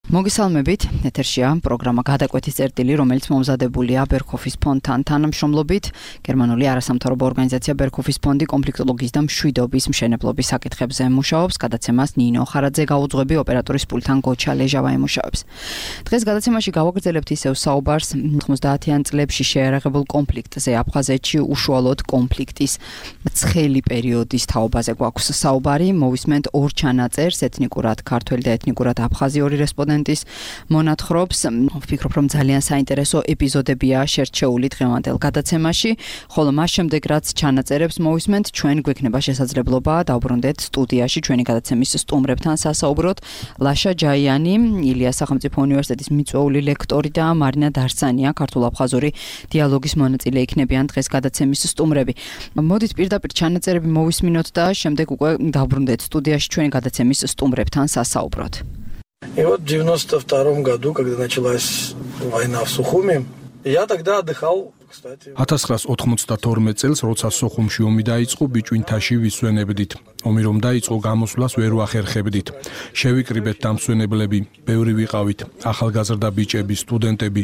მოგესალმებით, ეთერშია პროგრამა გადაკვეთის წერტილი, რომელიც მომზადებულია ბერქოფის ფონდთან თანამშრომლობით. გერმანული არასამთავრობო ორგანიზაცია ბერქოფის ფონდი კონფლიქტოლოგიის და მშვიდობის მშენებლობის საკითხებზე მუშაობს. გადაცემას ნინო ხარაძე გაუძღვები, ოპერატორის პულტთან გოჩა ლეჟავა ემუშავებს. დღეს გადაცემაში გავაგრძელებთ ისევ საუბარს 90-იან წლებში შეიარაღებულ კონფლიქტზე აფხაზეთში, უშუალოდ კონფლიქტის ცხელი პერიოდის თაობაზე გვაქვს საუბარი. მოვისმენთ ორ ჩანაწერს, ეთნიკურად ქართველი და ეთნიკურად აფხაზი ორი რესპონდენტი მონათხრობს. ვფიქრობ, რომ ძალიან საინტერესო ეპიზოდებია შერჩეული დღევანდელ გადაცემაში, ხოლო მას შემდეგ რაც ჩანაწერებს მოვისმენთ, ჩვენ გვექნება შესაძლებლობა დავბრუნდეთ სტუდიაში ჩვენი გადაცემის სტუმრებთან სასაუბროთ. ლაშა ჯაიანი, ილიას სახელმწიფო უნივერსიტეტის მიწვეული ლექტორი და მარინა დარსანია, ქართულ-აფხაზური დიალოგის მონაწილე იქნებიან დღეს გადაცემის სტუმრები. მოდით პირდაპირ ჩანაწერები მოვისმინოთ და შემდეგ უკვე დავბრუნდეთ სტუდიაში ჩვენი გადაცემის სტუმრებთან სასაუბროთ. И вот в 92 году, когда началась война в Сухуми, я тогда отдыхал, кстати. 1992 წელს, როცა სოხუმში ომი დაიწყო, ბიჭვინთაში ვისვენებდით. ომი რომ დაიწყო, გამოსვლას ვერ ვახერხებდით. შევიკრიბეთ დამსვენებლები, ბევრი ვიყავით, ახალგაზრდა ბიჭები, სტუდენტები,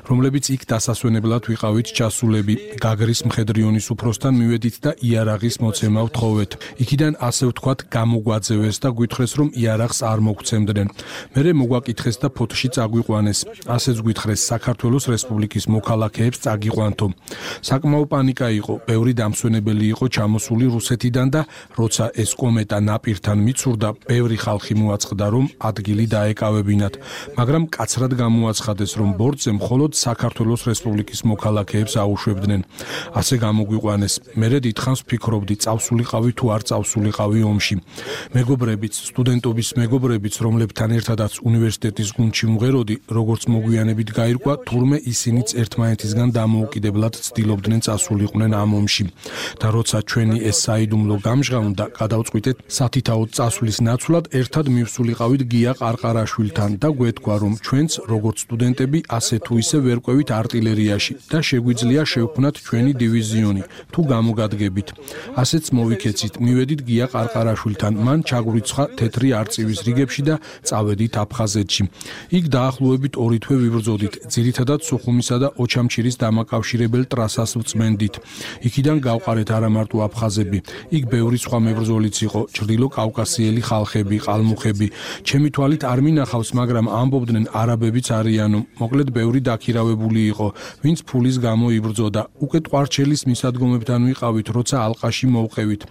რომლებიც იქ დასასვენებლად ვიყავით ჩასულები, გაგრის მხედრიონის უფროსთან მივედით და იარაღის მოცემა ვთხოვეთ. იქიდან ასე ვთქვათ, გამოგვაძევეს და გვითხრეს, რომ იარაღს არ მოგცემდნენ. მერე მოგვაკითხეს და ფოთში წაგვიყვანეს. ასეც გვითხრეს, საქართველოს რესპუბლიკის მოქალაქეებს წაგიყვანთო. საკმაო პანიკა იყო, ბევრი დამსვენებელი იყო ჩამოსული რუსეთიდან და როცა ეს კომეტა ნაპირთან მიცურდა, ბევრი ხალხი მოაწყდა, რომ ადგილი დაეკავებინათ, მაგრამ კაცრად გამოაცხადეს, რომ ბორტზე მხოლოდ საქართველოს რესპუბლიკის მოქალაქეებს აუშვებდნენ. ასე გამოგვიყვანეს. მერე დიდხანს ვფიქრობდი, წავსულიყავი თუ არ წავსულიყავი ომში. მეგობრებიც, სტუდენტობის მეგობრებიც, რომლებთან ერთადაც უნივერსიტეტის გუნდში ვმღეროდი, როგორც მოგვიანებით გაირკვა, თურმე ისინიც ერთმანეთისგან დამოუკიდებლად ცდილობდნენ წასულიყვნენ ამ ომში. და როცა ჩვენი ეს საიდუმლო გამჟღავნდა, გადავწყვიტეთ სათითაოდ წასვლის ნაცვლად ერთად მივსულიყავით გია ყარყარაშვილთან და გვეთქვა, რომ ჩვენც როგორც სტუდენტები ასე თუ ისე ვერ ყვევით არტილერიაში და შეგვიძლია შევქმნათ ჩვენი დივიზიონი თუ გამოგადგებით. ასეც მოვიქეცით, მივედით გია ყარყარაშვილთან, მან ჩაგვრიცხა თეთრი არწივის რიგებში და წავედით აფხაზეთში. იქ დაახლოებით 2 თვე ვიბრძოდით, ძირითადად სუხუმისა და ოჩამჩირის დამაკავშირებელ ტრასას ვწმენდით. იქიდან გავყარეთ არა მარტო აფხაზები, იქ ბევრი სხვა მებრძოლიც იყო, ჩრდილო კავკასიელი ხალხები, ყალმუხები. ჩემი თვალით არ მინახავს, მაგრამ ამბობდნენ არაბებიც არიანო. მოკლედ ბევრი დაქირავებული იყო, ვინც ფულის გამო იბრძოდა. უკვე ტყვარჩელის მისადგომებთან ვიყავით, როცა ალყაში მოვყევით.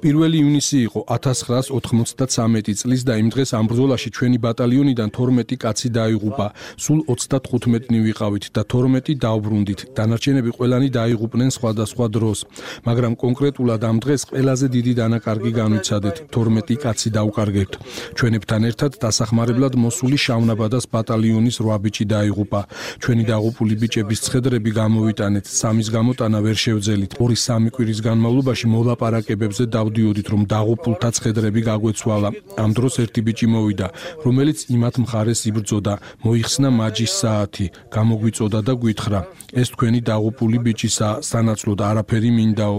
1 ივნისი იყო 1993 წლის და იმ დღეს ამ ბრძოლაში ჩვენი ბატალიონიდან 12 კაცი დაიღუპა. სულ 35-ნი ვიყავით და 12 დავბრუნდით. დანარჩენები ყველანი დაიღუპნენ სხვადასხვა დროს, მაგრამ კონკრეტულად ამ დღეს ყველაზე დიდი დანაკარგი განვიცადეთ. 12 კაცი დავკარგებთ. ჩვენებთან ერთად დასახმარებლად მოსული შავნაბადას ბატალიონის 8 ბიჭი დაიღუპა. ჩვენი დაღუპული ბიჭების ცხედრები გამოვიტანეთ. სამის გამოტანა ვერ შევძელით. 2-3 კვირის განმავლობაში მოლაპარაკებებზე დავდიოდით, რომ დაღუპულთა ცხედრები გაგვეცვალა. ამ დროს ერთი ბიჭი მოვიდა, რომელიც იმათ მხარეს იბრძოდა. მოიხსნა მაჯის საათი, გამოგვიწოდა და გვითხრა: ეს თქვენი დაღუპული ბიჭისაა, სანაცვლოდ არაფერი მინდაო.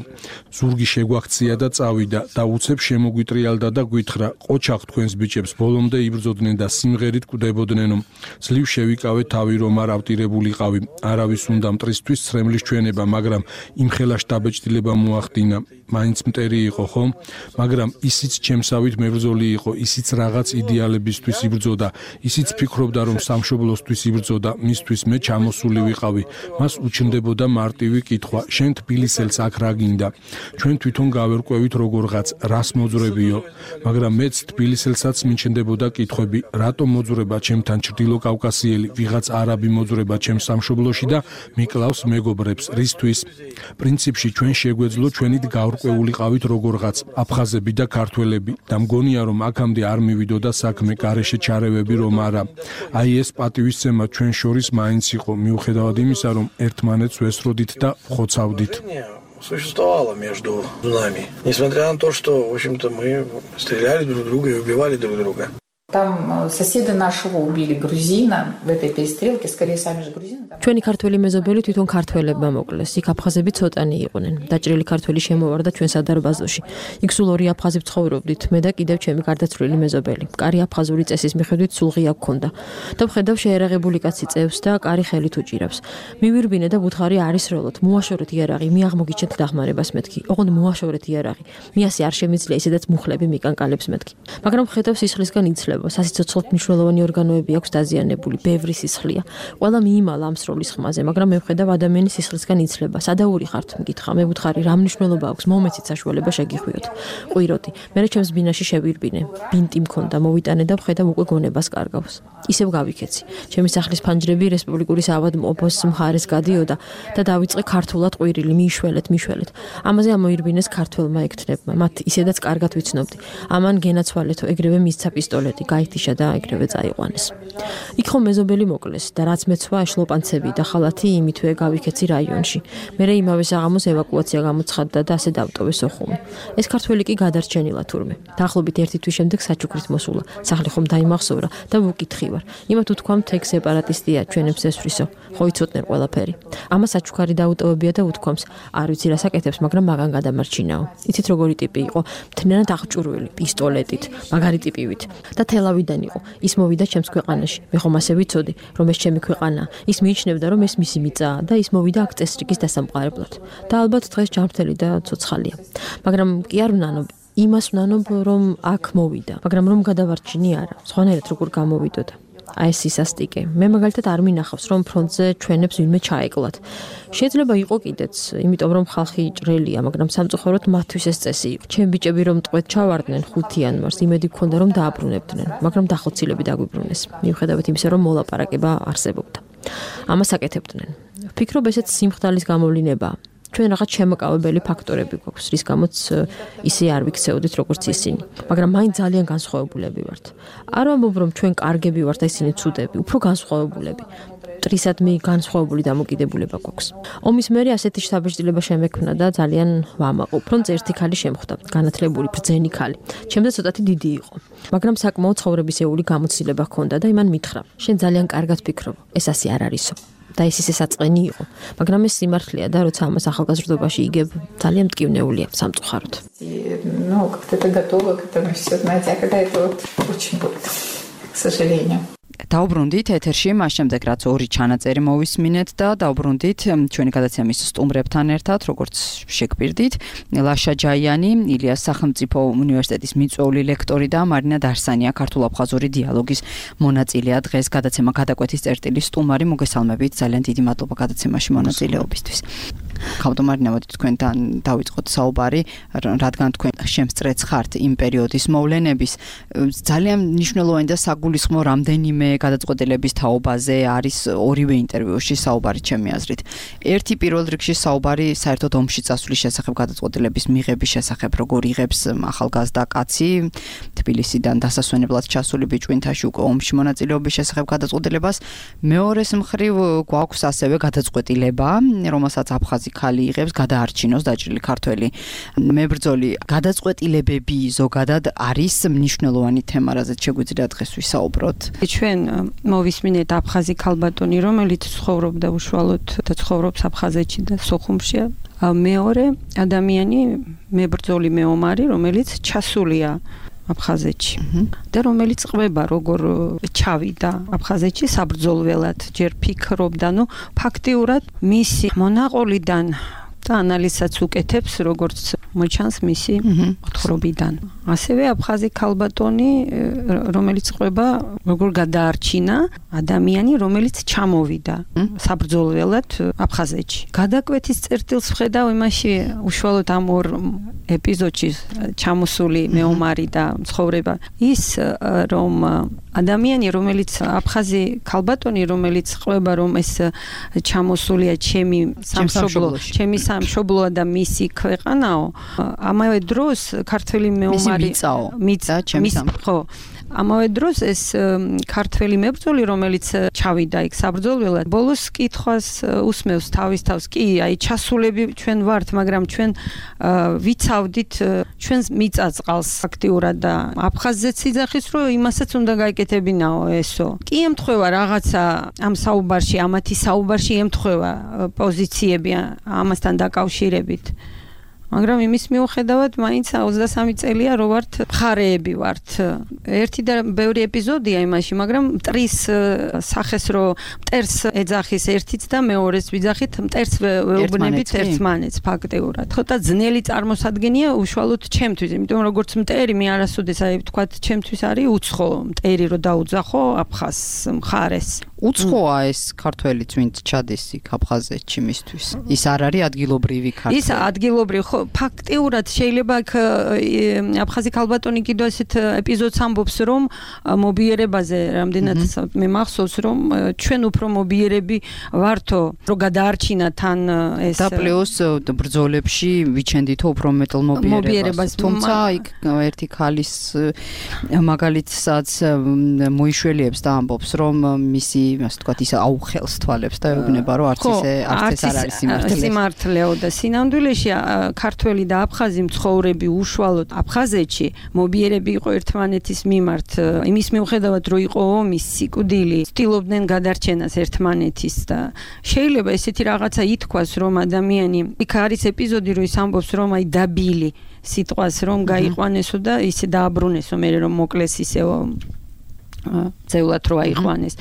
ზურგი შეგვაქცია და წავიდა და უცებ შემოგვიტრიალდა და გვითხრა: ყოჩახ თქვენს ბიჭებს, ბოლომდე იბრძოდნენ და სიმღერით კვდებოდნენო. ძლივ შევიკავე თავი, რომ არ ავტირებულიყავი. არავის უნდა მტრისთვის ცრემლის ჩვენება, მაგრამ იმხელა შტაბეჭდილება მოახდინა. მაინც მტერი იყო, ხო? მაგრამ ისიც ჩემსავით მებრძოლი იყო, ისიც რაღაც იდეალებისთვის იბრძოდა, ისიც ფიქრობდა, რომ სამშობლოსთვის იბრძოდა, მისთვის მე ჩამოსული ვიყავი. მას უჩნდებოდა მარტივი კითხვა: შენ თბილისელს აქ რა გინდა? ჩვენ თვითონ გავერკვევით როგორღაც, რას მოძრებიო, მაგრამ მეც თბილისელსაც მიჩნდებოდა კითხვები: რატომ მოძრება ჩემთან ჩრდილო კავკასიელი, ვიღაც არაბი მოძრება ჩემს სამშობლოში და მიკლავს მეგობრებს, რისთვის? პრინციპში ჩვენ შეგვეძლო ჩვენით გავრკვეულიყავით როგორღაც, აფხაზები და ქართველები და მგონია, რომ აქამდე არ მივიდოდა საქმე, გარეშე ჩარევები რომ არა. აი ეს პატივისცემა ჩვენ შორის მაინც იყო, მიუხედავად იმისა, რომ ერთმანეთს ვესროდით და ხოცავდით. Существовало между нами, несмотря на то, что, в общем-то, мы стреляли друг друга и убивали друг друга. Там соседа нашего убили грузина в этой перестрелке, скорее сами же грузины. ჩვენი ქართველი მეზობელი თვითონ ქართველებმა მოკლეს. იქ აფხაზები ცოტანი იყვნენ. დაჭრილი ქართველი შემოვარდა ჩვენ სადარბაზოში. იქ სულ ორი აფხაზი ცხოვრობდით, მე და კიდევ ჩემი გარდაცვლილი მეზობელი. კარი აფხაზური წესის მიხედვით სულ ღია გქონდა. და ვხედავ შეერაღებული კაცი წევს და კარი ხელით უჭირავს. მივირბინე და ვუთხარი არის როლოთ. მოაშორეთ იარაღი, მე აღმოგიჩენთ დახმარებას მეთქი. ოღონდ მოაშორეთ იარაღი. მე ასე არ შემიძლია ისედაც მუხლები მიკანკალებს მეთქი. მაგრამ ვხედავ სისხლისგან იცლება. სასიცოცხლოდ მნიშვნელოვანი ორგანოები აქვს დაზიანებული, ბევრი სისხლია. ყველა მიიმალა ამ სროლის ხმაზე, მაგრამ მე ვხედავ ადამიანის სისხლისგან იცლება. სადაური ხართ, მკითხა, მე ვუთხარი, რა მნიშვნელობა აქვს, მომეცით საშუალება შეგიხვიოთ. ყვიროდი. მე ჩემს ბინაში შევირბინე. ბინტი მქონდა, მოვიტანე და ვხედავ უკვე გონებას კარგავს. ისევ გავიქეცი. ჩემი სახლის ფანჯრები რესპუბლიკური საავადმყოფოს მხარეს გადიოდა და დავიწყე ქართულად ყვირილი, მიშველეთ. ამაზე ამოირბინეს ქართველმა ექთნებმა. მათ ისედაც კარგად ვიცნობდი. ამან გენაცვალეთო, ეგრევე მისცა პისტოლეტი, გაითიშა და ეგრევე წაიყვანეს. იქ ხომ მეზობელი მოკლეს და რაც მეცვა შლოპანცები და ხალათი იმითვე გავიქეცი რაიონში. მერე იმავე საღამოს ევაკუაცია გამოცხადდა და ასე დავტოვე სოხუმი. ეს ქართველი კი გადარჩენილა თურმე. დაახლოებით 1 თვის შემდეგ საჩუქრით მოსულა. სახლი ხომ დაიმახსოვრა და ვუკითხი ვარ. იმათ უთქვამთ ეგ სეპარატისტია, ჩვენებს ესვრისო. ხო იცოდნენ ყველაფერი. ამას საჩუქარი დაუტოვებია და უთქვამს, არ ვიცი რა საკეთებს, მაგრამ მაგან გადამარჩინაო. იცით როგორი ტიპი იყო? მთლიანად აღჭურვილი, პისტოლეტით, მაგარი ტიპივით და თელავიდან იყო. ის მოვიდა ჩემს ქვეყანაში. მე ხომ ასე ვიცოდი, რომ ეს ჩემი ქვეყანაა. ის მიიჩნევდა, რომ ეს მისი მიწაა და ის მოვიდა აქ წესრიგის დასამყარებლად. და ალბათ დღეს ჯანმრთელი და ცოცხალია. მაგრამ კი არ ვნანობ, იმას ვნანობ, რომ აქ მოვიდა, მაგრამ რომ გადავარჩინი არა. სხვანაირად როგორ გამოვიდოდა. აი ეს ისასტიკე. მე მაგალითად არ მინახავს, რომ ფრონტზე ჩვენებს ვინმე ჩაეკლათ. შეიძლება იყო კიდეც, იმიტომ რომ ხალხი ჭრელია, მაგრამ სამწუხაროდ მათთვის ეს წესი იყო. ჩემ ბიჭები რომ ტყვედ ჩავარდნენ 5 იანვარს, იმედი გქონდა რომ დააბრუნებდნენ, მაგრამ დახოცილები დაგვიბრუნეს. მიუხედავად იმისა, რომ მოლაპარაკება არსებობდა. ამას აკეთებდნენ. ვფიქრობ, ესეც სიმხდალის გამოვლინებაა. ჩვენ რაღაც შემოკავებელი ფაქტორები გვაქვს, რის გამოც ისე არ ვიქცეოდით როგორც ისინი, მაგრამ მაინც ძალიან განსხვავებულები ვართ. არ ვამბობ, რომ ჩვენ კარგები ვართ და ისინი ცუდები, უფრო განსხვავებულები. მტრისადმი განსხვავებული დამოკიდებულება გვაქვს. ომის მერე ასეთი შთაბეჭდილება შემექმნა და ძალიან ვამაყობ, რომ ერთი ქალი შემხვდა, განათლებული ბრძენი ქალი. ჩემზე ცოტათი დიდი იყო, მაგრამ საკმაოდ ცხოვრებისეული გამოცდილება ჰქონდა და იმან მითხრა: "შენ ძალიან კარგად ფიქრობ, ეს ასე არ არისო." და ის ისე საწყენი იყო, მაგრამ ეს სიმართლეა და როცა ამას ახალგაზრდობაში იგებ, ძალიან მტკივნეულია სამწუხაროდ. Ну, как-то это готово к этому всё, знаете, а когда это вот очень будет, к сожалению. დაუბრუნდით ეთერში, მას შემდეგ რაც ორი ჩანაწერი მოვისმინეთ და დაუბრუნდით ჩვენი გადაცემის სტუმრებთან ერთად, როგორც შეგვირდით, ლაშა ჯაიანი, ილიას სახელმწიფო უნივერსიტეტის მიწვეული ლექტორი და მარინა დარსანია, ქართულ-აფხაზური დიალოგის მონაწილეა. დღეს გადაცემა გადაკვეთის წერტილის სტუმარი, მოგესალმებით, ძალიან დიდი მადლობა გადაცემაში მონაწილეობისთვის. ხავდო მარინა, მოდით თქვენთან დავიწყოთ საუბარი, რადგან თქვენ შემსწრეც ხართ იმ პერიოდის მოვლენების, ძალიან მნიშვნელოვანი და საგულისხმო რამდენიმე გადაწყვეტილების თაობაზე არის ორივე ინტერვიუში საუბარი ჩემი აზრით. ერთი პირველ რიგში საუბარი საერთოდ ომში წასვლის შესახებ გადაწყვეტილების მიღების შესახებ, როგორ იღებს ახალგაზრდა კაცი თბილისიდან დასასვენებლად ჩასული ბიჭვინთაში უკვე ომში მონაწილეობის შესახებ გადაწყვეტილებას. მეორეს მხრივ გვაქვს ასევე გადაწყვეტილება, რომელსაც აფხაზი ქალი იღებს გადაარჩინოს დაჭრილი ქართველი მებრძოლი. გადაწყვეტილებები ზოგადად არის მნიშვნელოვანი თემა, რაზეც შეგვიძლია დღეს ვისაუბროთ. ჩვენ მოვისმინეთ აფხაზი ქალბატონი, რომელიც ცხოვრობდა უშუალოდ და ცხოვრობს აფხაზეთში და სოხუმშია. მეორე ადამიანი მებრძოლი მეომარი, რომელიც ჩასულია აფხაზეთში და რომელიც ყვება როგორ ჩავიდა აფხაზეთში საბრძოლველად, ჯერ ფიქრობდა, ну ფაქტიურად მისი მონაყოლიდან და ანალიზსაც უკეთებს, როგორც მოჩანს მისი მოთხრობიდან. ასევე აფხაზი ქალბატონი, რომელიც ყვება, როგორ გადაარჩინა ადამიანი, რომელიც ჩამოვიდა საბრძოლველად აფხაზეთში. გადაკვეთის წერტილს ვხედავ იმაში უშუალოდ ამ ორ ეპიზოდში ჩამოსული მეომარი და ცხოვრება ის, რომ ადამიანი, რომელიც აფხაზი ქალბატონი, რომელიც ყვება, რომ ეს ჩამოსულია ჩემი სამშობლოა და მისი ქვეყანაო, ამავე დროს ქართველი მეომარი მიწა ჩემი ხო, ამავე დროს ეს ქართველი მებრძოლი, რომელიც ჩავიდა იქ საბრძოლველად, ბოლოს კითხვას უსმევს თავის თავს. კი, აი ჩასულები ჩვენ ვართ, მაგრამ ჩვენ ვიცავდით ჩვენს მიწაწყალს აქტიურად და აფხაზზეც იძახის, რომ იმასაც უნდა გაიკეთებინაო ესო. კი ემთხვევა რაღაცა ამ საუბარში, ამათი საუბარში ემთხვევა პოზიციები ამასთან დაკავშირებით. მაგრამ იმის მიუხედავად მაინც 23 წელია რო ვართ მხარეები ვართ. ერთი და ბევრი ეპიზოდია იმაში, მაგრამ მტრის სახეს რო მტერს ეძახის ერთიც და მეორეს ვიძახით, მტერს ვეუბნებით ერთმანეთს ფაქტიურად. ცოტა ძნელი წარმოსადგენია უშუალოდ ჩემთვის, იმიტომ როგორც მტერი მე არასოდეს აი ვთქვათ, ჩემთვის არის უცხო მტერი რო დაუძახო აფხაზს მხარეს. უცხოა ეს ქართველიც, ვინც ჩადის იქ აფხაზეთში მისთვის. ის არ არის ადგილობრივი ქართველი. ის ადგილობრივი, ხო, ფაქტიურად შეიძლება აქ აფხაზი ქალბატონი კიდევ ესეთ ეპიზოდს ამბობს, რომ მობიერებაზე რამდენად მე მახსოვს, რომ ჩვენ უფრო მობიერები ვართო, რომ გადაარჩინა თან ეს და პლუს ბრძოლებში ვიჩენდითო უფრო მეტალ მობიერებას. თუმცა იქ ერთი ქალის მაგალითსაც მოიშველიებს და ამბობს, რომ მისი ასე ვთქვათ, ის აუხელს თვალებს და ეუბნება, რომ არც ეს არ არის სიმართლეო და სინამდვილეში ქართველი და აფხაზი მცხოვრები უშუალოდ აფხაზეთში მობიერები იყო ერთმანეთის მიმართ. იმის მიუხედავად, რომ იყო ომის სიკვდილი, ცდილობდნენ გადარჩენას ერთმანეთის და შეიძლება ესეთი რაღაცა ითქვას, რომ ადამიანი იქ არის ეპიზოდი, რომ ის ამბობს, რომ აი დაბილი სიტყვას რომ გაიყვანესო და ისე დააბრუნესო, მე რომ მოკლეს ისეო ზეულად რო აიყვანეს.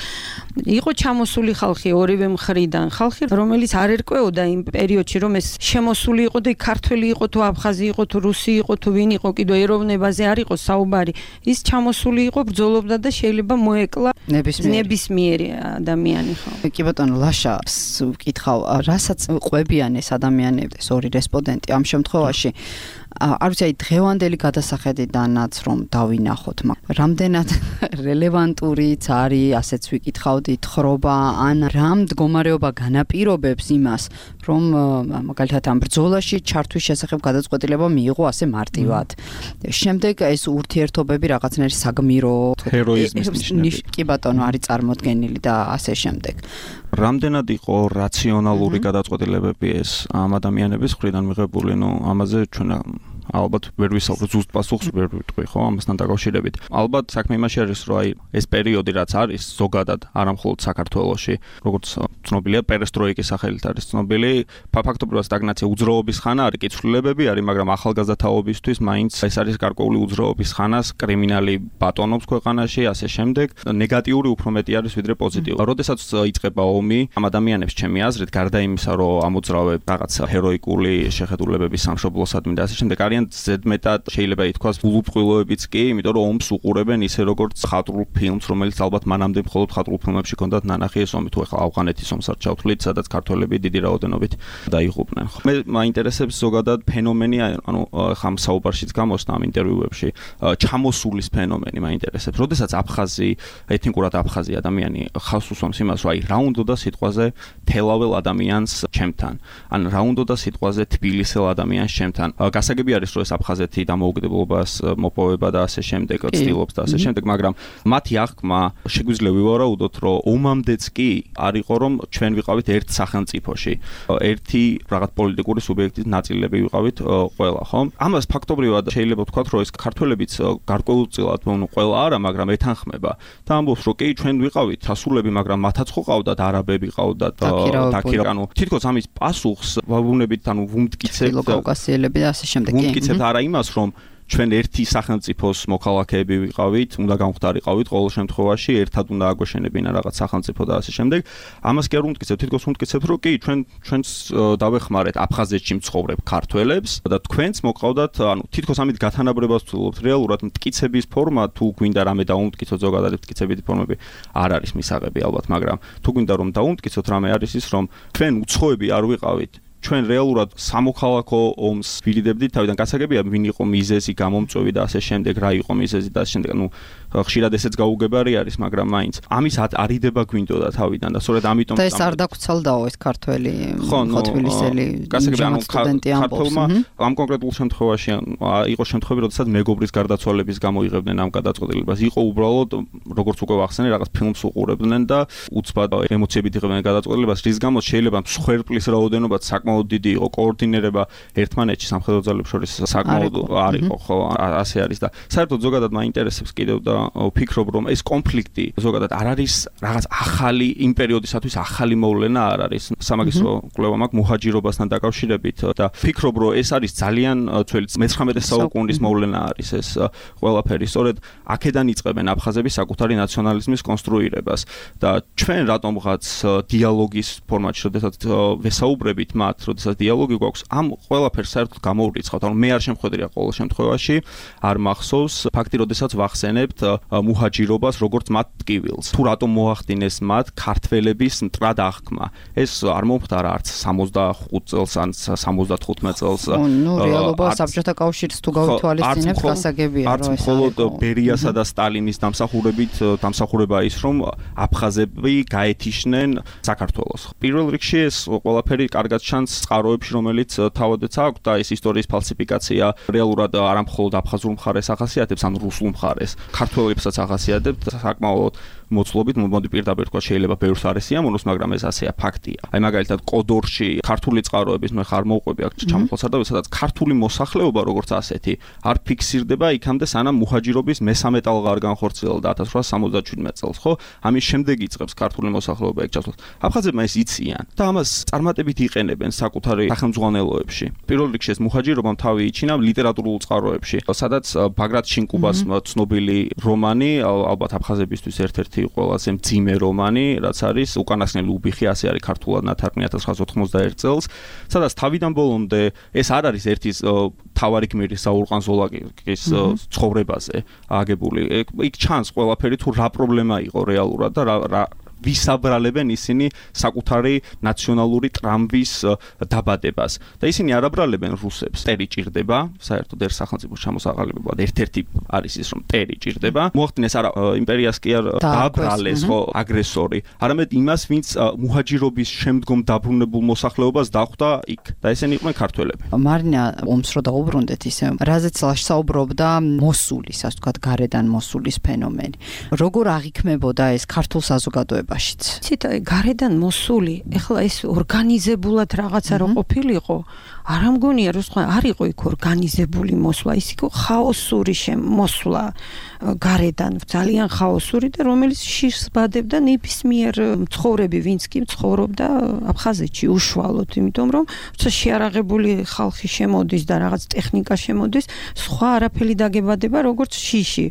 იყო ჩამოსული ხალხი ორივე მხრიდან, ხალხი რომელიც არ ერკვეოდა იმ პერიოდში, რომ ეს შემოსული იყო და ქართველი იყო თუ აფხაზი იყო თუ რუსი იყო თუ ვინ იყო, კიდო ეროვნებაზე არ იყო საუბარი. ის ჩამოსული იყო, ბრძოლობდა და შეიძლება მოეკლა ნებისმიერი ადამიანი ხო. კი ბატონო ლაშას ვკითხავ, რასაც ყვებიან ეს ადამიანები, ეს ორი რესპონდენტი ამ შემთხვევაში არ ვიცი, აი დღევანდელი გადასახედიდანაც რომ დავინახოთ, რამდენად რელევანტურიც არის, ასეც ვიკითხავდით, ხრობა ან რა მდგომარეობა განაპირობებს იმას, რომ მაგალითად ამ ბრძოლაში ჩართვის შესახებ გადაწყვეტილება მიიღო ასე მარტივად. შემდეგ ეს ურთიერთობები რაღაცნაირი საგმირო ჰეროიზმის ნიშნები. კი ბატონო, არის წარმოდგენილი და ასე შემდეგ. რამდენად იყო რაციონალური გადაწყვეტილებები ეს ამ ადამიანების მხრიდან მიღებული, ამაზე ჩვენ ალბათ ვერ ვისაუბროთ, ზუსტ პასუხს ვერ ვიტყვი, ხო, ამასთან დაკავშირებით. ალბათ საქმე იმაში არის, რომ აი ეს პერიოდი რაც არის ზოგადად, არა მხოლოდ საქართველოში, როგორც ცნობილია, პერესტროიკის სახელით არის ცნობილი, ფაქტობრივად სტაგნაცია უძრაობის ხანა არის, კიცვლილებები არის, მაგრამ ახალგაზრდა თაობისთვის მაინც ეს არის გარკვეული უძრაობის ხანას, კრიმინალი ბატონობს ქვეყანაში, ასე შემდეგ, ნეგატიური უფრო მეტი არის ვიდრე პოზიტიური. როდესაც იწყება ომი, ამ ადამიანებს ჩემი აზრით, გარდა იმისა, რომ ამოძრავებ რაღაც ჰეროიკული შეხედულებების სამშობლოსადმი და ასე შემდეგ, არიან ზედმეტად შეიძლება ითქვას გულუბრყვილოებიც კი, იმიტომ რომ ომს უყურებენ ისე როგორც ხატრულ ფილმს, რომელიც ალბათ მანამდე მხოლოდ ხატრულ ფილმებში ჰქონდათ ნანახი ეს ომი, თუ ახლა ავღანეთის ომს არ ჩავთვლით, სადაც ქართველები დიდი რაოდენობით დაიღუპნენ. მე მაინტერესებს ზოგადად ფენომენი, ანუ ხამ საუბარშიც გამოსნა ამ ინტერვიუებში, ჩამოსულის ფენომენი მაინტერესებს. როდესაც აფხაზი, ეთნიკურად აფხაზი ადამიანი ხავს უსვამს იმას, რომ აი რა უნდა სიტყვაზე თელაվել ადამიანს ჩემთან, ან რა უნდა სიტყვაზე თბილისელ ადამიანს ჩემთან. გასაგები არის რომ ეს აფხაზეთი დამოუკიდებლობას მოპოვება და ასე შემდეგ ცდილობს და ასე შემდეგ, მაგრამ მათი აღქმა შეგვიძლია ვივარაუდოთ, რომ ომამდეც კი არ იყო რომ ჩვენ ვიყავით ერთ სახელმწიფოში, ერთი რაღაც პოლიტიკური სუბიექტის ნაწილები ვიყავით ყველა, ხო? ამას ფაქტობრივად შეიძლება ვთქვათ, რომ ეს ქართველებიც გარკვეულწილად, ну ყველა არა, მაგრამ ეთანხმება და ამბობს, რომ კი ჩვენ ვიყავით ასულები, მაგრამ მათაც ხო ყავდათ არაბები, ყავდათ დაქირავ, ანუ თითქოს ამის პასუხს ვაუნებით, ანუ ვუმტკიცებთ კავკასიელები და ასე შემდეგ. ვუმტკიცებთ არა იმას, რომ ჩვენ ერთი სახელმწიფოს მოქალაქეები ვიყავით, უნდა გამختارიყავით ყოველ შემთხვევაში, ერთად უნდა აგვეშენებინა რაღაც სახელმწიფო და ასე შემდეგ. ამას კი არ ვუმტკიცებთ, თითქოს ვუმტკიცებთ, რომ კი ჩვენს დავეხმარეთ აფხაზეთში მცხოვრებ ქართველებს და თქვენც მოყავდათ, ანუ თითქოს ამით გათანაბრებას ვცდილობთ. რეალურად მტკიცების ფორმა თუ გვინდა რამე დაუმტკიცოთ, ზოგადად მტკიცებითი ფორმები არ არის მისაღები ალბათ, მაგრამ თუ გვინდა რომ დაუმტკიცოთ, რამე არის ის, რომ ჩვენ უცხოები არ ვიყავით. ჩვენ რეალურად სამოქალაქო ომს ვირიდებდით, თავიდან გასაგებია ვინ იყო მიზეზი, გამომწვევი და ასე შემდეგ, რა იყო მიზეზი და ასე შემდეგ. ხშირად ესეც გაუგებარი არის, მაგრამ მაინც ამის არიდება გვინდოდა თავიდან და სწორედ ამიტომ და ეს არ დაგვრცელდაო ეს ქართველი თბილისელი სტუდენტი ამბობს. ამ კონკრეტულ შემთხვევაში იყო შემთხვევები, როდესაც მეგობრის გარდაცვალების გამო იღებდნენ ამ გადაწყვეტილებას. იყო უბრალოდ როგორც უკვე ვახსენე, რაღაც ფილმს უყურებდნენ და უცბად ემოციებით იღებდნენ გადაწყვეტილებას, რის გამოც შეიძლება მსხვერპლის რაოდენობაც საკმაოდ დიდი იყო, კოორდინირება ერთმანეთში სამხედრო ძალებს შორის საკმაოდ არ იყო, ხო, ასე არის და საერთოდ ზოგადად მაინტერესებს კიდევ და ვფიქრობ, რომ ეს კონფლიქტი ზოგადად არ არის რაღაც ახალი იმ პერიოდისათვის ახალი მოვლენა არ არის. სამაგისტრო კვლევა მაქვს მუჰაჯირობასთან დაკავშირებით და ვფიქრობ, რომ ეს არის ძალიან ძველი 19 საუკუნის მოვლენა არის ეს ყველაფერი. სწორედ აქედან იწყებენ აფხაზები საკუთარი ნაციონალიზმის კონსტრუირებას და ჩვენ რატომღაც დიალოგის ფორმატში, როდესაც ვესაუბრებით მათ, როდესაც დიალოგი გვაქვს, ამ ყველაფერს საერთოდ გამოვრიცხავთ. ანუ მე არ შემხედრია ყოველ შემთხვევაში, არ მახსოვს ფაქტი, როდესაც ვახსენებთ მუჰაჯირობას როგორც მათ ტკივილს. თუ რატომ მოახდინეს მათ ქართველების მტრად აღქმა. ეს არ მომხდარა არც 65 წელს ან 75 წელს. ნუ რეალობა საბჭოთა კავშირს თუ გავთვალისწინებთ, გასაგებია, რომ ეს მხოლოდ ბერიასა და სტალინის დამსახურება ის, რომ აფხაზები გაეთიშნენ საქართველოს. პირველ რიგში ეს ყველაფერი კარგად ჩანს წყაროებში, რომელიც თავადაც აქვს და ეს ისტორიის ფალსიფიკაცია რეალურად არა მხოლოდ აფხაზურ მხარეს ახასიათებს, ან რუსულ მხარეს, ქართველებსაც ახასიათებს საკმაოდ მოცულობით, მოდი პირდაპირ თქვა, შეიძლება ბევრს არ ესიამოვნოს, მაგრამ ეს ასეა, ფაქტია. აი მაგალითად კოდორში ქართული წყაროების მე ხარ მოვყვები აქ ჩამოხლასადავე, სადაც ქართული მოსახლეობა როგორც ასეთი არ ფიქსირდება იქამდე, სანამ მუჰაჯირობის მესამე ტალღა არ განხორციელდა 1877 წელს, ხო? ამის შემდეგ იწყებს ქართული მოსახლეობა ეგ ჩასვლას. აფხაზებმა ეს იციან და ამას წარმატებით იყენებენ საკუთარი სახელმძღვანელოებში. პირველ რიგში ეს მუჰაჯირობამ თავი იჩინა ლიტერატურულ წყაროებში, სადაც ბაგრატ შინკუბას ცნობილი რომანი, ალბათ აფხაზებისთვის ერთ-ერთი ყველაზე მძიმე რომანი, რაც არის უკანასკნელი უბიხი, ასე არის ქართულად ნათარგმნი 1991 წელს, სადაც თავიდან ბოლომდე ეს არ არის ერთი თავარი გმირი საურყან ზოლაკის ცხოვრებაზე აგებული. იქ ჩანს ყველაფერი თუ რა პრობლემა იყო რეალურად და რა ვისაბრალებენ ისინი საკუთარი ნაციონალური ტრამვის დაბადებას და ისინი არ აბრალებენ რუსებს. ტერი ჭირდება, საერთოდ ერთ სახელმწიფოს ჩამოსაყალიბებლად ერთ-ერთი არის ის, რომ ტერი ჭირდება. მოახდინეს არა იმპერიას კი არ დააბრალეს ხო აგრესორი, არამედ იმას, ვინც მუჰაჯირობის შემდგომ დაბრუნებულ მოსახლეობას დახვდა იქ და ესენი იყვნენ ქართველები. მარინა ომს რო დაუბრუნდეთ ისე, რაზეც საუბრობდა მოსულის, ასე ვთქვათ, გარედან მოსულის ფენომენი. როგორ აღიქმებოდა ეს ქართულ საზოგადოებაში? ცით გარედან მოსული, ეხლა ეს ორგანიზებულად რაღაცა რო ყოფილიყო, არ ამგონია რომ სხვა არ იყო იქ ორგანიზებული მოსვლა, ის იყო ხაოსური მოსვლა გარედან, ძალიან ხაოსური და რომელიც შიშს ბადებდა ნებისმიერ მცხოვრები, ვინც კი ცხოვრობდა აფხაზეთში უშუალოდ, იმიტომ რომ როცა შეარაღებული ხალხი შემოდის და რაღაც ტექნიკა შემოდის, სხვა არაფერი დაგებადება როგორც შიში.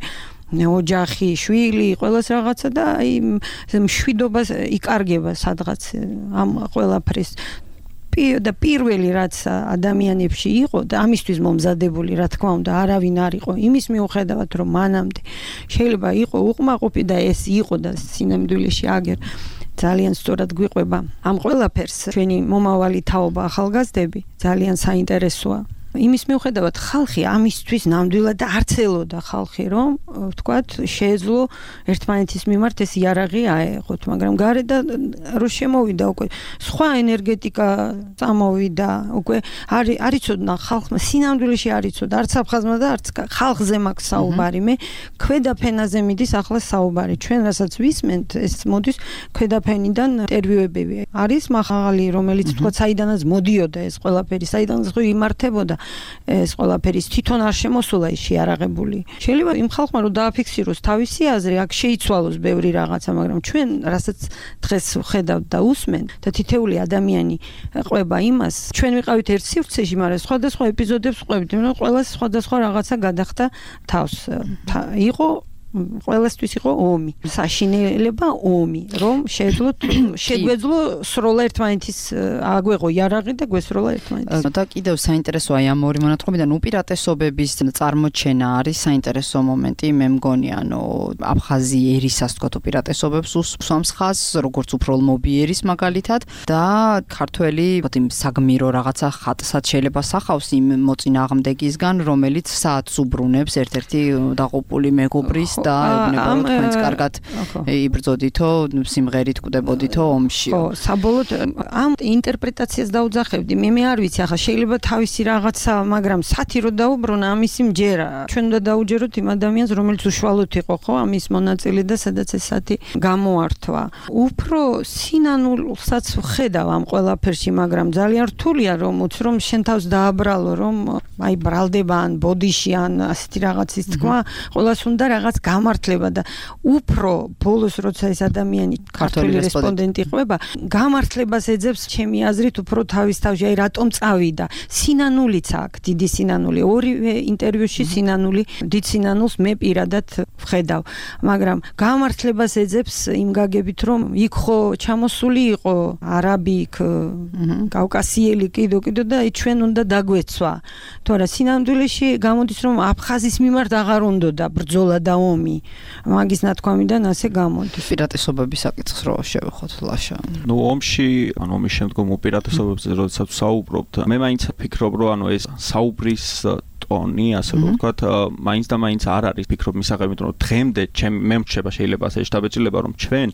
ოჯახი, შვილი, ყველას რაღაცა და აი მშვიდობას იკარგება სადღაც ამ ყველაფრის და პირველი რაც ადამიანებში იყო და ამისთვის მომზადებული, რა თქმა უნდა, არავინ არ იყო იმის მიუხედავად, რომ მანამდე შეიძლება იყო უკმაყოფი და ეს იყო და სინამდვილეში აგერ ძალიან სწორად გვიყვება ამ ყველაფერს ჩვენი მომავალი თაობა ახალგაზრდები ძალიან საინტერესოა. იმის მიუხედავად ხალხი ამისთვის ნამდვილად არც ელოდა ხალხი, რომ ვთქვათ, შეეძლო ერთმანეთის მიმართ ეს იარაღი აეღოთ, მაგრამ გარდა რომ შემოვიდა უკვე სხვა ენერგეტიკა წამოვიდა, უკვე არ იცოდნა ხალხმა, სინამდვილეში არ იცოდა, არც აფხაზმა და არც ხალხზე მაქვს საუბარი, მე ქვედა ფენაზე მიდის ახლა საუბარი. ჩვენ რასაც ვისმენთ, ეს მოდის ქვედა ფენიდან ინტერვიუებები. არის მაღალი, რომელიც ვთქვათ, საიდანაც მოდიოდა ეს ყველაფერი, საიდანაც ხო იმართებოდა ეს ყველაფერი თვითონ არ შემოსულა ის შეარაღებული. შეიძლება იმ ხალხმა რომ დააფიქსიროს თავისი აზრი, აქ შეიცვალოს ბევრი რაღაცა, მაგრამ ჩვენ რასაც დღეს ვხედავთ და усმენ და თითეული ადამიანი ყვება იმას, ჩვენ ვიყავით ერთ სივრცეში, მაგრამ სხვადასხვა ეპიზოდებს ვყვებით, რომ ყველა სხვადასხვა რაღაცა გადახდა თავს. იყო ყველასთვის იყო ომი, საშინელება ომი, რომ შეგვეძლო სროლა ერთმანეთის აგვეღო იარაღი და გვესროლა ერთმანეთის. და კიდევ საინტერესოა ამ ორი მონათხრობიდან უპირატესობების წარმოჩენა არის საინტერესო მომენტი, მე მგონი, ანუ აფხაზი ერის ასე ვთქვათ უპირატესობებს უსვამს ხაზს, როგორც უფროლმობი ერის მაგალითად და ქართველი იმ საგმირო რაღაცა ხატსაც შეიძლება სახავს იმ მოწინააღმდეგისგან, რომელიც საათს უბრუნებს ერთ-ერთი დაყუპული მეგობრის და ეუბნება რომ თქვენც კარგად იბრძოდითო, სიმღერით კვდებოდითო ომში. ხო, საბოლოოდ ამ ინტერპრეტაციას დაუძახებდი. მე არ ვიცი, ახლა შეიძლება თავისი რაღაცა, მაგრამ სათი რო დაუბრუნა, ამისი მჯერა. ჩვენ უნდა დაუჯეროთ იმ ადამიანს, რომელიც უშუალოდ იყო, ხო, ამის მონაწილე და სადაც ეს სათი გამოართვა. უფრო სინანულსაც ხედავ ამ ყველაფერში, მაგრამ ძალიან რთულია რომ უცრომ შენ თავს დააბრალო, რომ აი ბრალდება ან ბოდიში ან ასეთი რაღაცის თქვა, ყველას უნდა რაღაც გამართლება და უფრო ბოლოს როცა ეს ადამიანი ქართული რესპონდენტი ყვება, გამართლებას ეძებს ჩემი აზრით უფრო თავის თავში, აი რატომ წავიდა. სინანულიც აქვს, დიდი სინანული. ორივე ინტერვიუში სინანული, დიდ სინანულს მე პირადად ვხედავ, მაგრამ გამართლებას ეძებს იმ გაგებით, რომ იქ ხო ჩამოსული იყო არაბი, იქ კავკასიელი კიდო და ჩვენ უნდა დაგვეცვა. თორე სინამდვილეში გამოდის რომ აფხაზის მიმართ აღარ უნდოდა ბრძოლა და ომი. მაგის ნათქვამიდან ასე გამოდის. პირატესობების საკითხს რო შევეხოთ ლაშა. ომში, ომის შემდგომ უპირატესობებზე როდესაც საუბრობთ, მე მაინც ვფიქრობ, რომ ეს საუბრის ტონი, ასე რომ ვთქვათ, მაინც და მაინც არ არის ფიქრობ მისაღებად, რომ დღემდე მე მრჩება შეიძლება ასე შტაბეჭილება, რომ ჩვენ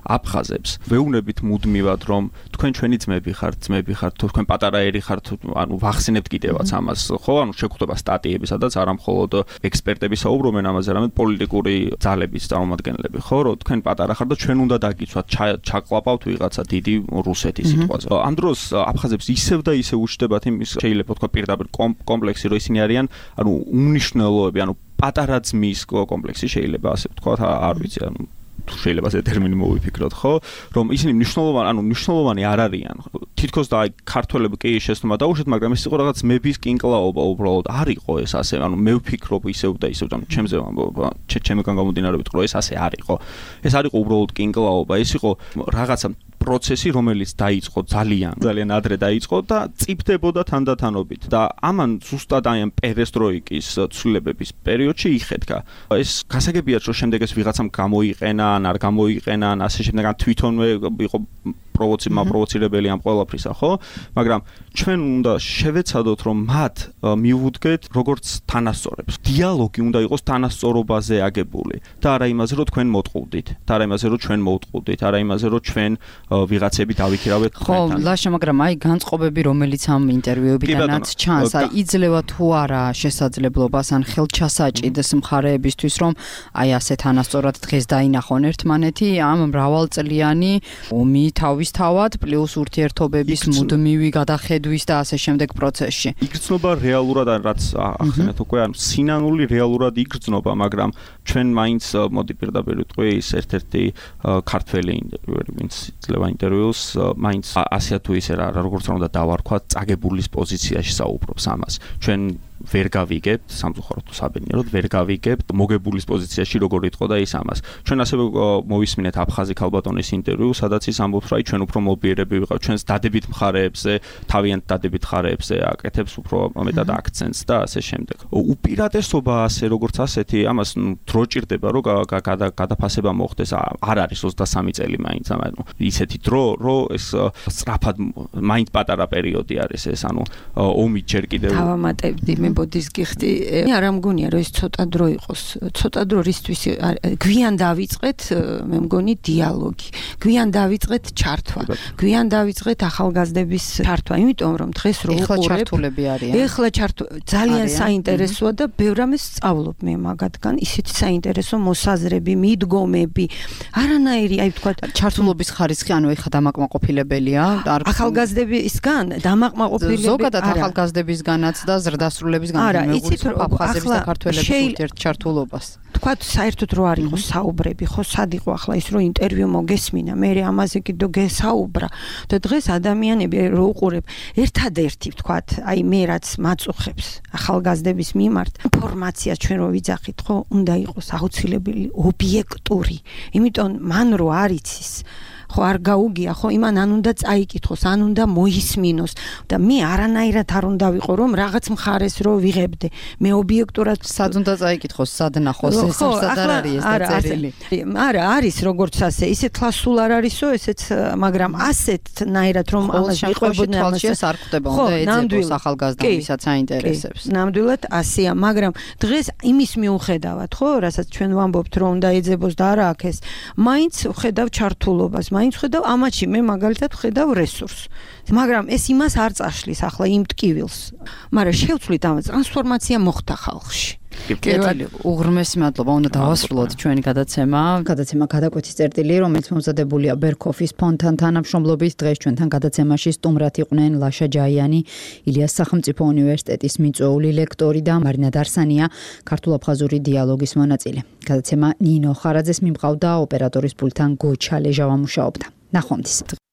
აფხაზებს ვეუბნებით მუდმივად, რომ თქვენ ჩვენი ძმები ხართ, თქვენ პატარაერი ხართ, ანუ ვახსენებთ კიდევაც ამას, ხო? ანუ შეგვხვდება სტატიები, სადაც არა მხოლოდ ექსპერტები საუბრობენ ამაზე, არამედ პოლიტიკური ძალების წარმომადგენლები, ხო? რომ თქვენ პატარა ხართ და ჩვენ უნდა დაგიცვათ, ჩაკლაპავთ ვიღაცა დიდი რუსეთის სიტყვაზე. ამ დროს აფხაზებს ისევ და ისევ უჩნდებათ იმის შეიძლება თქვა პირდაპირ კომპლექსი, რომ ისინი არიან, ანუ უმნიშვნელოები, ანუ პატარა ძმის კომპლექსი შეიძლება ასე ვთქვათ, არ ვიცი, ანუ შეიძლება ეს ტერმინი მოვიფიქროთ, ხო? რომ ისინი მნიშვნელოვანი არ არიან. თითქოს და აი ქართველები კი შეცდომა დაუშვათ, მაგრამ ეს იყო რაღაც მების კინკლაობა უბრალოდ. არ იყო ეს ასე, ანუ მე ვფიქრობ ისევ და ისევ, ანუ ჩემგან გამომდინარეობს, რომ ეს ასე არ იყო. ეს არ იყო უბრალოდ კინკლაობა, ეს იყო რაღაცა პროცესი, რომელიც დაიწყო ძალიან ადრე დაიწყო და წიფდებოდა თანდათანობით და ამან ზუსტად აი ამ პერესტროიკის ცვლილებების პერიოდში იხეთქა. ეს გასაგებია, რომ შემდეგ ეს ვიღაცამ გამოიყენა, ან არ გამოიყენა, ან ასე შემდეგ, ან თვითონვე იყო პროვოცირებელი ამ ყველაფრისა, ხო? მაგრამ ჩვენ უნდა შევეცადოთ, რომ მათ მივუდგეთ როგორც თანასწორებს. დიალოგი უნდა იყოს თანასწორობაზე აგებული და არა იმაზე, რომ თქვენ მოტყუდით, და არა იმაზე, რომ ჩვენ მოვტყუდით, არა იმაზე, რომ ჩვენ ვიღაცები დავიქირავეთ თქვენთან. ხო, ლაშა, მაგრამ აი განწყობები, რომელიც ამ ინტერვიუებიდანაც ჩანს, აი იძლევა თუ არა შესაძლებლობას ან ხელჩასაჭიდს მხარეებისთვის, რომ აი ასე თანასწორად დღეს დაინახონ ერთმანეთი ამ მრავალწლიანი ომი თავისთავად პლუს ურთიერთობების მუდმივი გადახედვის და ასე შემდეგ პროცესში. იგრძნობა რეალურად, რაც ახსენეთ უკვე, ანუ სინანული რეალურად იგრძნობა, მაგრამ ჩვენ მაინც მოდი პირდაპირ ვიტყვი ის ერთ-ერთი ქართველი ინტერვიუერი, ვინც ძლევა ინტერვიუს, მაინც ასეა თუ ისე რა, როგორც უნდა დავარქვათ, წაგებულის პოზიციაში საუბრობს ამას. ჩვენ ვერ გავიგებთ, სამწუხაროდ თუ საბედნიეროდ ვერ გავიგებთ მოგებულის პოზიციაში როგორ იტყო და ის ამას. ჩვენ ასევე მოვისმინეთ აფხაზი ქალბატონის ინტერვიუ, სადაც ის ამბობს, რომ ჩვენ უფრო მობიერები ვიყავ, ჩვენს დადებით მხარეებზე, თავიანთ დადებით მხარეებზე აკეთებს უფრო მეტად აქცენტს და ასე შემდეგ. უპირატესობა ასე როგორც ასეთი, ამას დრო ჭირდება, რომ გადაფასება მოხდეს. არ არის 23 წელი მაინც, ანუ ისეთი დრო, რომ ეს სწრაფად მაინც პატარა პერიოდი არის ეს, ანუ ომი ჯერ კიდევ დავამატებდი მე ბოდის გიხდი, არ ამგონია რომ ეს ცოტა დრო იყოს. ცოტა დრო რისთვის გვიან დავიწყეთ, მე მგონი დიალოგი. გვიან დავიწყეთ ჩართვა. გვიან დავიწყეთ ახალგაზრდების ჩართვა, იმიტომ რომ დღეს რო უყურებ, ეხლა ჩართულები არიან. ეხლა ძალიან საინტერესოა და ბევრ ამას სწავლობ მე მაგათგან, ისეთი საინტერესო მოსაზრები, მიდგომები. არანაირი, აი ვთქვათ, ჩართულობის ხარისხი, ანუ ეხლა დამაკმაყოფილებელია, ახალგაზრდებისგან, დამაკმაყოფილებელი. ზოგადად ახალგაზრდებისგანაც და ზრდასრულებისგან მეგუწევს აფხაზების და ქართველების ურთიერთჩართულობას. თქვათ საერთოდ რო არ იყოს საუბრები, ხო სად იყო ახლა ის რო ინტერვიუ მოგესმინა, მე ამაზე კიდო გესაუბრა და დღეს ადამიანები რო უყურებ, ერთადერთი ვთქვათ, აი მე რაც მაწუხებს ახალგაზრდების მიმართ, ინფორმაცია ჩვენ რო ვიძახით, ხო, უნდა იყოს აუცილებელი ობიექტური. იმიტომ მან რო არ იცის ხო არ გაუგია, ხო იმან ან უნდა წაიკითხოს, ან უნდა მოისმინოს და მე არანაირად არ უნდა ვიყო რომ რაღაც მხარეს რო ვიღებდე. მე ობიექტურად სად უნდა წაიკითხოს, სად ნახოს ეს სად არ არის ეს დაწერილი. არა, არის როგორც ასე, ისეთ ლასულ არ არისო, ესეც, მაგრამ ასეთნაირად რომ ამას ვიყვებოდნენ თვალში ეს არ ხვდება, უნდა ეძებოს ახალგაზრდა ვისაც აინტერესებს. ნამდვილად ასეა, მაგრამ დღეს იმის მიუხედავად, ხო, რასაც ჩვენ ვამბობთ რომ უნდა ეძებოს და არა აქ ეს, მაინც ვხედავ ჩართულობას, მაინც ვხედავ ამაში, მე მაგალითად ვხედავ რესურსს. მაგრამ ეს იმას არ წაშლის ახლა იმ ტკივილს. მაგრამ შევცვლით ამ ტრანსფორმაცია მოხდა ხალხში. უღრმესი მადლობა, უნდა დავასრულოთ ჩვენი გადაცემა. გადაცემა გადაკვეთის წერტილი, რომელიც მომზადებულია ბერქოფის ფონდთან თანამშრომლობით. დღეს ჩვენთან გადაცემაში სტუმრად იყვნენ ლაშა ჯაიანი, ილიას სახელმწიფო უნივერსიტეტის მიწვეული ლექტორი და მარინა დარსანია, ქართულ-აფხაზური დიალოგის მონაწილე. გადაცემა ნინო ხარაძეს მიმყავდა, ოპერატორის პულტთან გოჩა ლეჟავა მუშაობდა. ნახვამდის.